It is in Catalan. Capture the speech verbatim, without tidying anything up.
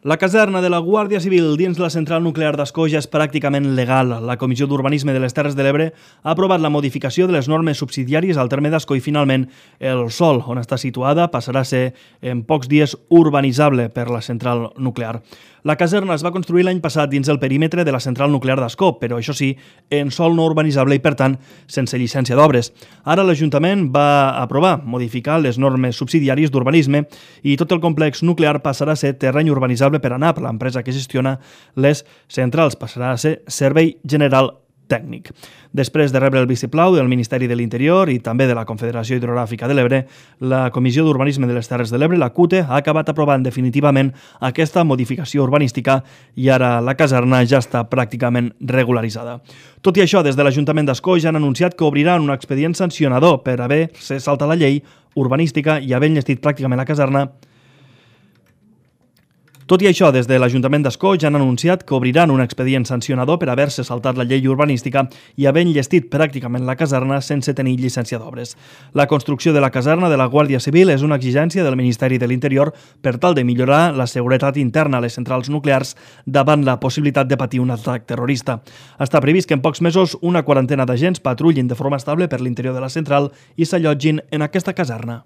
La caserna de la Guàrdia Civil dins la central nuclear d'Ascó ja és pràcticament legal. La Comissió d'Urbanisme de les Terres de l'Ebre ha aprovat la modificació de les normes subsidiàries al terme d'Ascó i finalment el sòl on està situada passarà a ser en pocs dies urbanitzable per la central nuclear. La caserna es va construir l'any passat dins el perímetre de la central nuclear d'Ascó, però això sí, en sòl no urbanitzable i per tant sense llicència d'obres. Ara l'Ajuntament va aprovar modificar les normes subsidiàries d'urbanisme i tot el complex nuclear passarà a ser terreny urbanitzable per ANAP, l'empresa que gestiona les centrals, passarà a ser Servei General Tècnic. Després de rebre el vistiplau del Ministeri de l'Interior i també de la Confederació Hidrogràfica de l'Ebre, la Comissió d'Urbanisme de les Terres de l'Ebre, la C U T E, ha acabat aprovant definitivament aquesta modificació urbanística i ara la caserna ja està pràcticament regularitzada. Tot i això, des de l'Ajuntament d'Ascó ja han anunciat que obriran un expedient sancionador per haver-se saltat la llei urbanística i haver enllestit pràcticament la caserna. Tot i això, des de l'Ajuntament d'Ascó ja han anunciat que obriran un expedient sancionador per haver-se saltat la llei urbanística i haver enllestit pràcticament la caserna sense tenir llicència d'obres. La construcció de la caserna de la Guàrdia Civil és una exigència del Ministeri de l'Interior per tal de millorar la seguretat interna a les centrals nuclears davant la possibilitat de patir un atac terrorista. Està previst que en pocs mesos una quarantena d'agents patrullin de forma estable per l'interior de la central i s'allotgin en aquesta caserna.